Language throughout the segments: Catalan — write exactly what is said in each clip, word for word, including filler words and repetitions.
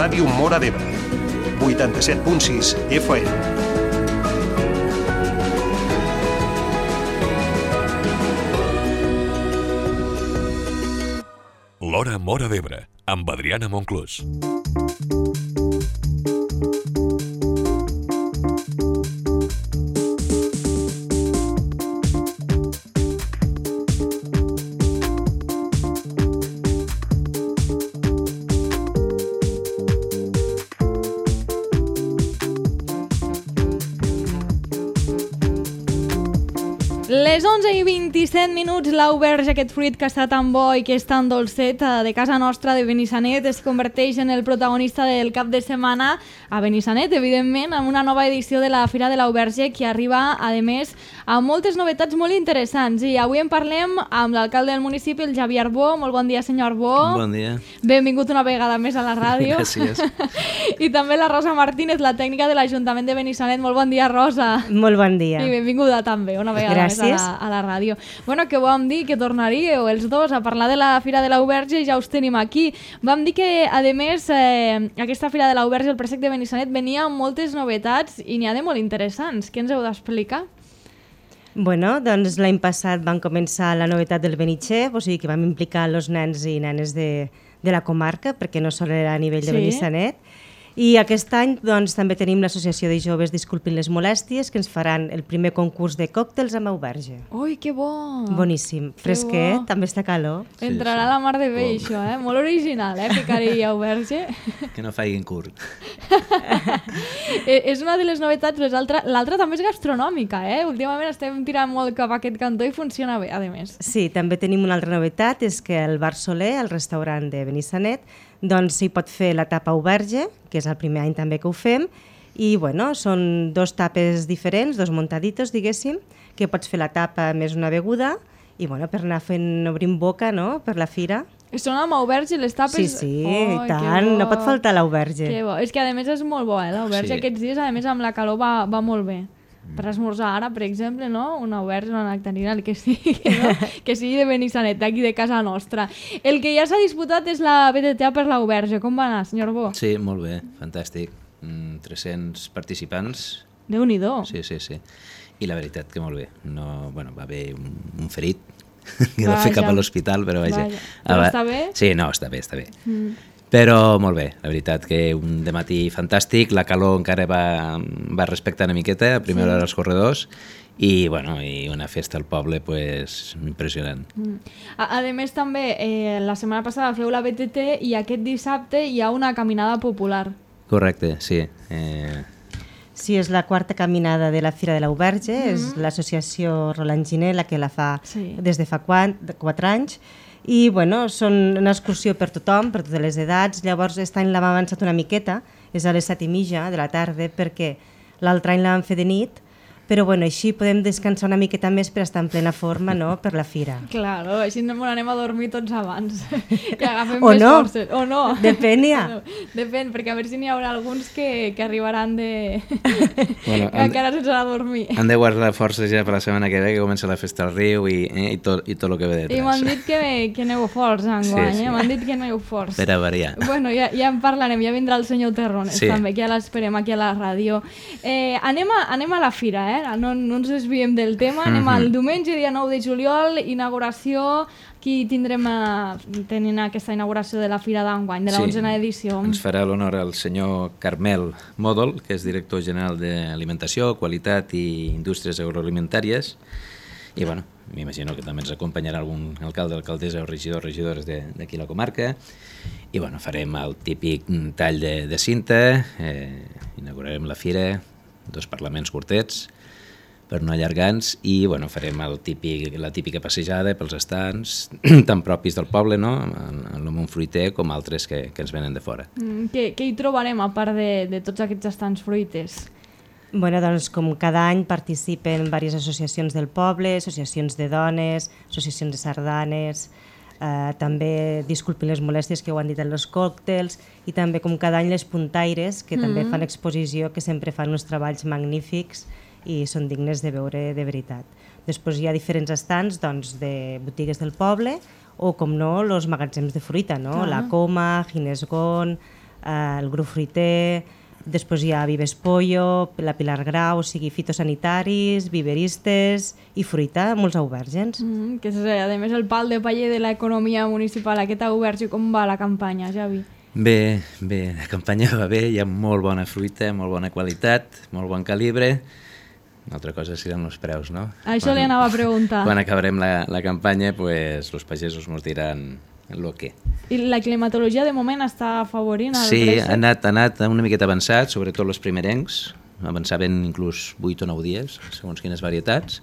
Ràdio Móra d'Ebre, vuitanta-set punt sis F M. L'Hora Móra d'Ebre, amb Adriana Monclús. Les onze i vint-i-set minuts, l'auberge, aquest fruit que està tan bo i que és tan dolcet, de casa nostra, de Benissanet, es converteix en el protagonista del cap de setmana a Benissanet, evidentment, amb una nova edició de la Fira de l'Auberge que arriba, a més, amb moltes novetats molt interessants. I avui en parlem amb l'alcalde del municipi, el Javier Arbó. Molt bon dia, senyor Arbó. Bon dia. Benvingut una vegada més a la ràdio. Gràcies. I també la Rosa Martínez, la tècnica de l'Ajuntament de Benissanet. Molt bon dia, Rosa. Molt bon dia. I benvinguda també, una vegada Gràcies. més a la, a la ràdio. Bueno, que vam dir que tornaríeu els dos a parlar de la Fira de l'Auberge i ja us tenim aquí. Vam dir que, a més, eh, aquesta Fira de l'Auberge, el Préssec de Benissanet, venia amb moltes novetats i n'hi ha de molt interessants. Què ens heu d'explicar? Bueno, doncs l'any passat vam començar la novetat del Benitxef, o sigui que vam implicar els nens i nenes de, de la comarca, perquè no sol era a nivell de Sí. Benissanet. I aquest any doncs, també tenim l'Associació de Joves Disculpin les Molèsties, que ens faran el primer concurs de còctels amb auberge. Ui, que bo! Boníssim. Que Fresquet, bo. també està calor. Sí, Entrarà sí. la mar de bé, això, eh? Molt original, eh? Picar-hi auberge. Que no faiguin curt. Eh, és una de les novetats, l'altra l'altra també és gastronòmica, eh? Últimament estem tirant molt cap a aquest cantó i funciona bé, a més. Sí, també tenim una altra novetat, és que el Bar Soler, el restaurant de Benissanet, doncs s'hi pot fer la tapa auberge, que és el primer any també que ho fem, i bueno, són dos tapes diferents, dos montaditos, diguéssim, que pots fer la tapa més una beguda, i bueno, per anar fent, obrint boca, no?, per la fira. Són amb auberge les tapes? Sí, sí, oh, i tant, no pot faltar l'auberge. Que bo. És que a més és molt bo, eh? L'auberge Sí. aquests dies, a més amb la calor va, va molt bé. Per esmorzar ara, per exemple, no? Una auberge, una nectarina, el que sigui, no? Que sigui de Benissanet, d'aquí de casa nostra. El que ja s'ha disputat és la B T T A per l'auberge. Com va anar, senyor Bo? Sí, molt bé, fantàstic. Mm, tres-cents participants. Déu-n'hi-do. Sí, sí, sí. I la veritat que molt bé. No, bueno, va haver un, un ferit que va fer Vaja. cap a l'hospital, però vaja. Vaja. Però Ah, està bé? Sí, no, està bé, està bé. Mm. Però molt bé, la veritat que un dematí fantàstic, la calor encara va, va respectar una miqueta, a primera Sí. hora als corredors, i, bueno, i una festa al poble pues, impressionant. Mm. A, a més, també, eh, la setmana passada feu la B T T i aquest dissabte hi ha una caminada popular. Correcte, sí. Eh, Sí, és la quarta caminada de la Fira de l'Auberge, mm -hmm. és l'associació Roland Giner la que la fa Sí. des de fa quatre anys, i bueno, són una excursió per tothom, per totes les edats. Llavors aquest any l'hem avançat una miqueta, és a les set i mitja de la tarda, perquè l'altre any la vam fer de nit, però bueno, així podem descansar una miqueta més per estar en plena forma, no?, per la fira. Claro, així no anem a dormir tots abans, que agafem O més no. forces. O no. Depèn, ja. No, depèn, perquè a veure si n'hi haurà alguns que, que arribaran de... Bueno, que han- encara sense anar a dormir. Han de guardar forces ja per la setmana que ve, que comença la festa al riu i, eh, i, tot, i tot el que ve I m'han detrás. dit que, que aneu forts enguany, Sí, sí. eh? M'han dit que aneu forts. Per a variar. Bueno, ja, ja en parlarem, ja vindrà el senyor Terrones Sí. també, que ja l'esperem aquí a la ràdio. Eh, anem, a, anem a la fira, eh? No, no ens desviem del tema, anem Mhm. al diumenge, dia nou de juliol, inauguració. Aquí tindrem a, tenint aquesta inauguració de la fira d'enguany, de la Sí. onzena edició. Ens farà l'honor el senyor Carmel Mòdol, que és director general d'Alimentació, Qualitat i Indústries Agroalimentàries. I bueno, m'imagino que també ens acompanyarà algun alcalde, alcaldessa o regidor, regidores de- d'aquí a la comarca. I bueno, farem el típic tall de, de cinta, eh, inaugurarem la fira, dos parlaments curtets, per no allargar-nos, i bueno, farem el típic, la típica passejada pels estants, tan propis del poble, no?, en el món fruiter, com altres que, que ens venen de fora. Mm, Què, què hi trobarem a part de, de tots aquests estants fruiters? Bueno, doncs, com cada any participen diverses associacions del poble, associacions de dones, associacions de sardanes, eh, també, disculpin les molèsties que ho han dit en els còctels, i també, com cada any, les puntaires, que mm-hmm. també fan exposició, que sempre fan uns treballs magnífics i són dignes de veure de veritat. Després hi ha diferents estants, doncs, de botigues del poble, o, com no, els magatzems de fruita, no? Clar. La Coma, Ginesgon, eh, el grup fruiter, després hi ha Vives Pollo, la Pilar Grau, o sigui, fitosanitaris, viveristes i fruita, molts aubèrgens. Mm, que és, a més, el pal de paller de l'economia municipal, aquest auberge, com va la campanya, Javi? Bé, bé, la campanya va bé, hi ha molt bona fruita, molt bona qualitat, molt bon calibre. Una altra cosa seran els preus, no? Això quan, li anava a preguntar. Quan acabarem la, la campanya, pues, els pagesos ens diran el que. I la climatologia de moment està afavorint el sí, préssec? ha anat, ha anat una miqueta avançat, sobretot els primerencs, avançaven inclús vuit o nou dies, segons quines varietats.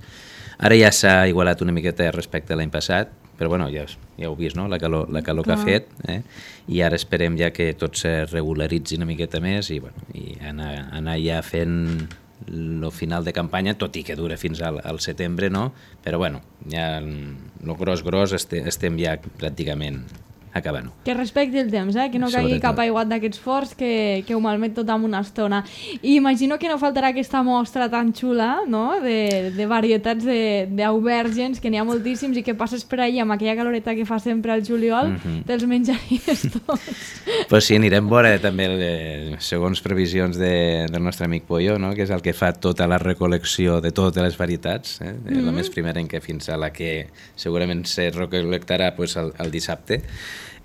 Ara ja s'ha igualat una miqueta respecte a l'any passat, però bueno, ja, ja heu vist, no?, la calor, la calor que ha fet, eh? I ara esperem ja que tot se regularitzi una miqueta més i, bueno, i anar, anar ja fent el final de campanya, tot i que dura fins al, al setembre, no? Però bueno, ja el gros gros este, estem ja pràcticament acabant-ho. Que respecti el temps, eh? Que no caigui cap aiguat d'aquests forts que, que ho malmet tot en una estona. I imagino que no faltarà aquesta mostra tan xula, no?, de, de varietats d'aubergens, que n'hi ha moltíssims i que passes per allà amb aquella caloreta que fa sempre al juliol, mm-hmm. te'ls menjaries tots. Pues sí, anirem veure també, eh, segons previsions de, del nostre amic Pollo, no?, que és el que fa tota la recol·lecció de totes les varietats, eh? Mm-hmm. La més primerenca fins a la que segurament se recol·lectarà pues, el, el dissabte.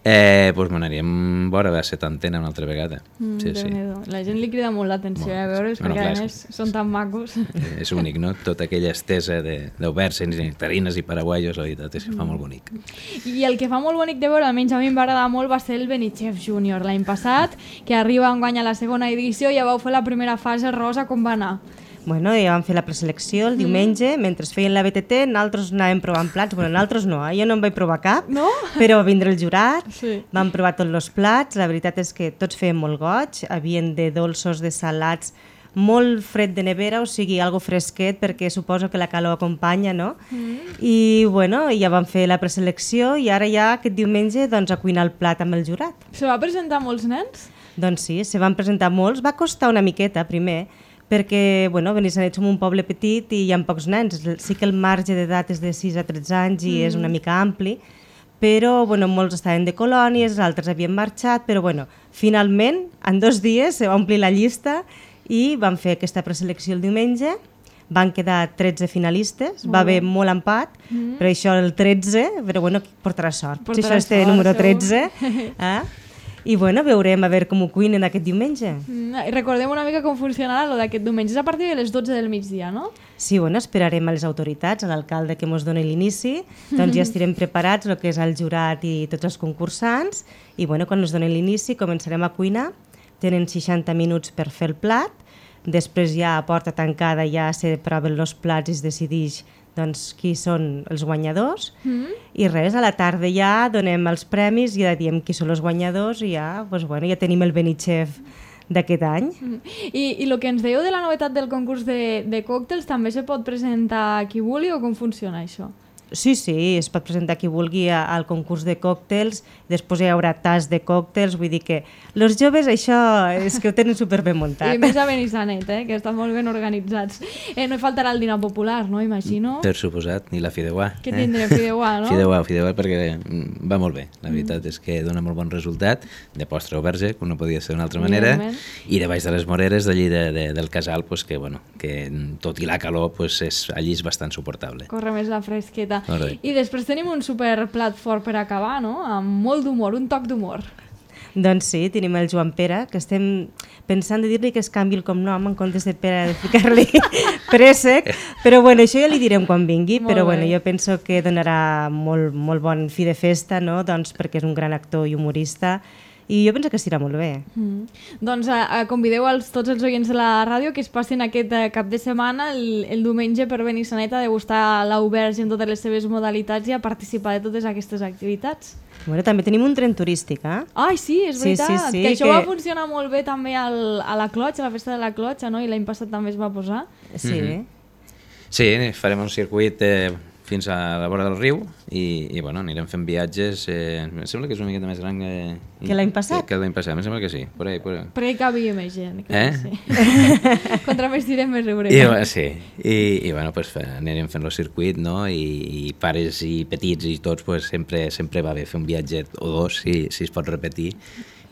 Eh, doncs m'anaríem a veure la setantena una altra vegada. Mm, sí, sí. La gent li crida molt l'atenció a veure's, bueno, perquè clar, a més són tan macos. És únic, no? Tota aquella estesa d'auberges, nectarines i paraguaios, la veritat és que fa molt bonic. I el que fa molt bonic de veure, almenys a mi em va agradar molt, va ser el Benichef Júnior l'any passat, que arriba enguany a la segona edició, ja vau fer la primera fase rosa, com va anar? Bueno, ja vam fer la preselecció el diumenge, mm. mentre feien la B T T, nosaltres anàvem provant plats. Bueno, nosaltres no, eh? Jo no en vaig provar cap, no? Però va vindre el jurat, sí. Vam provar tots els plats, la veritat és que tots feien molt goig, havien de dolços, de salats, molt fred de nevera, o sigui, algo fresquet, perquè suposo que la calor acompanya, no? Mm. I, bueno, ja vam fer la preselecció i ara ja aquest diumenge doncs, a cuinar el plat amb el jurat. Se va presentar molts nens? Doncs sí, se van presentar molts, va costar una miqueta primer, perquè bueno, Benissanet som un poble petit i hi ha pocs nens. Sí que el marge d'edat és de sis a tretze anys i mm. és una mica ampli, però bueno, molts estaven de colònies, altres havien marxat, però bueno, finalment, en dos dies se va omplir la llista i vam fer aquesta preselecció el diumenge. Van quedar tretze finalistes, va haver molt empat, mm. però això el tretze, però bueno, portarà sort. Portarà si això és el número tretze, eh? I bueno, veurem a veure com ho cuinen aquest diumenge. Mm, recordem una mica com funcionarà lo d'aquest diumenge. És a partir de les dotze del migdia, no? Sí, bueno, esperarem a les autoritats, a l'alcalde que ens doni l'inici, doncs ja estarem preparats, el que és el jurat i tots els concursants, i bueno, quan ens donin l'inici començarem a cuinar, tenen seixanta minuts per fer el plat, després ja a porta tancada ja se proven els plats i es decideix doncs, qui són els guanyadors, mm. i res, a la tarda ja donem els premis i ja diem qui són els guanyadors i ja, doncs, bueno, ja tenim el Benichef d'aquest any. Mm. I, I el que ens dèieu de la novetat del concurs de, de còctels també se pot presentar qui vulgui o com funciona això? Sí, sí, es pot presentar qui vulgui al concurs de còctels, després hi haurà tas de còctels, vull dir que els joves això és que ho tenen superben muntat. I més a Benissanet, eh, que estan molt ben organitzats. Eh, no hi faltarà el dinar popular, no, imagino? Per suposat, ni la fideuà. Què tindrem, fideuà, no? Fideuà, fideuà, perquè va molt bé. La veritat mm. és que dona molt bon resultat, de postre o verge, com no podia ser d'una altra manera, i de baix de les moreres d'allí de, de, del casal, pues, que, bueno, que tot i la calor pues, és, allí és bastant suportable. Corre més la fresqueta. Correcte. I després tenim un super plat fort per acabar, no? Amb molt d'humor, un toc d'humor. Doncs sí, tenim el Joan Pere, que estem pensant de dir-li que es canvi el cognom en comptes de Pere, de ficar-li préssec, però bueno, això ja li direm quan vingui, molt però bé. Bueno, jo penso que donarà molt, molt bon fi de festa, no? Doncs perquè és un gran actor i humorista, i jo penso que estirà molt bé. Mm. Doncs a, a convideu als, tots els oients de la ràdio que es passin aquest uh, cap de setmana, el, el diumenge, per Benissanet a degustar l'auberge en totes les seves modalitats i a participar de totes aquestes activitats. Bueno, també tenim un tren turístic, eh? Ai, sí, és veritat, sí, sí, sí, que això que... va funcionar molt bé també al, a la Clotxa, a la festa de la Clotxa, no? I l'any passat també es va posar. Sí. Mm-hmm. Sí, farem un circuit eh, fins a la vora del riu i, i bueno, anirem fent viatges. Eh, em sembla que és una miqueta més gran que, que l'any passat. Que, que l'any passat, em sembla que sí. Por ahí, por ahí. Però hi cabia més gent. Eh? Sí. Contra més tirem, més riurem. I, sí, i, i bueno, pues, anirem fent el circuit, no? I, i pares i petits i tots, pues, sempre, sempre va bé fer un viatge o dos, si, si es pot repetir.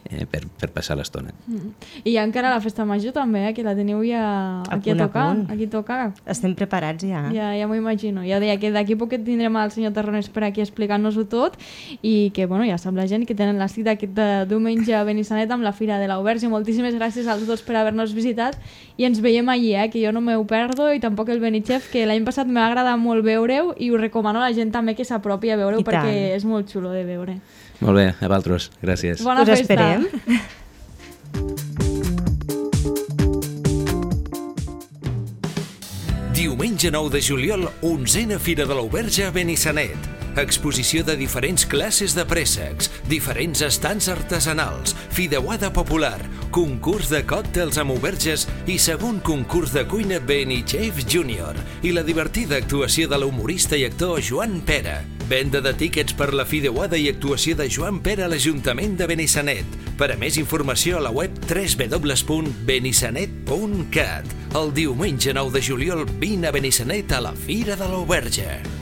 eh, per, per passar l'estona. Mm. I hi ha encara la festa major també, eh, que la teniu ja aquí a, punt, a tocar. punt. Aquí tocar. Estem preparats ja. Ja, ja m'ho imagino. Ja deia que d'aquí poquet tindrem el senyor Terronés per aquí explicant-nos-ho tot i que, bueno, ja sap la gent que tenen la cita aquest diumenge a Benissanet amb la Fira de l'Au Verge. Moltíssimes gràcies als dos per haver-nos visitat i ens veiem allí, eh, que jo no m'ho perdo i tampoc el Benichef, que l'any passat m'ha agradat molt veure-ho i us recomano a la gent també que s'apropi a veure-ho perquè tant. És molt xulo de veure. Molt bé, a vosaltres. Gràcies. Bona us festa. Esperem. Diumenge nou de juliol, onzena Fira de l'Au Verge a Benissanet. Exposició de diferents classes de préssecs, diferents estants artesanals, fideuada popular, concurs de còctels amb auberges i segon concurs de cuina Benichef Júnior i la divertida actuació de l'humorista i actor Joan Pera. Venda de tíquets per la fideuada i actuació de Joan Pera a l'Ajuntament de Benissanet. Per a més informació a la web w w w punt benissanet punt cat. El diumenge nou de juliol vine a Benissanet a la Fira de l'Au Verge.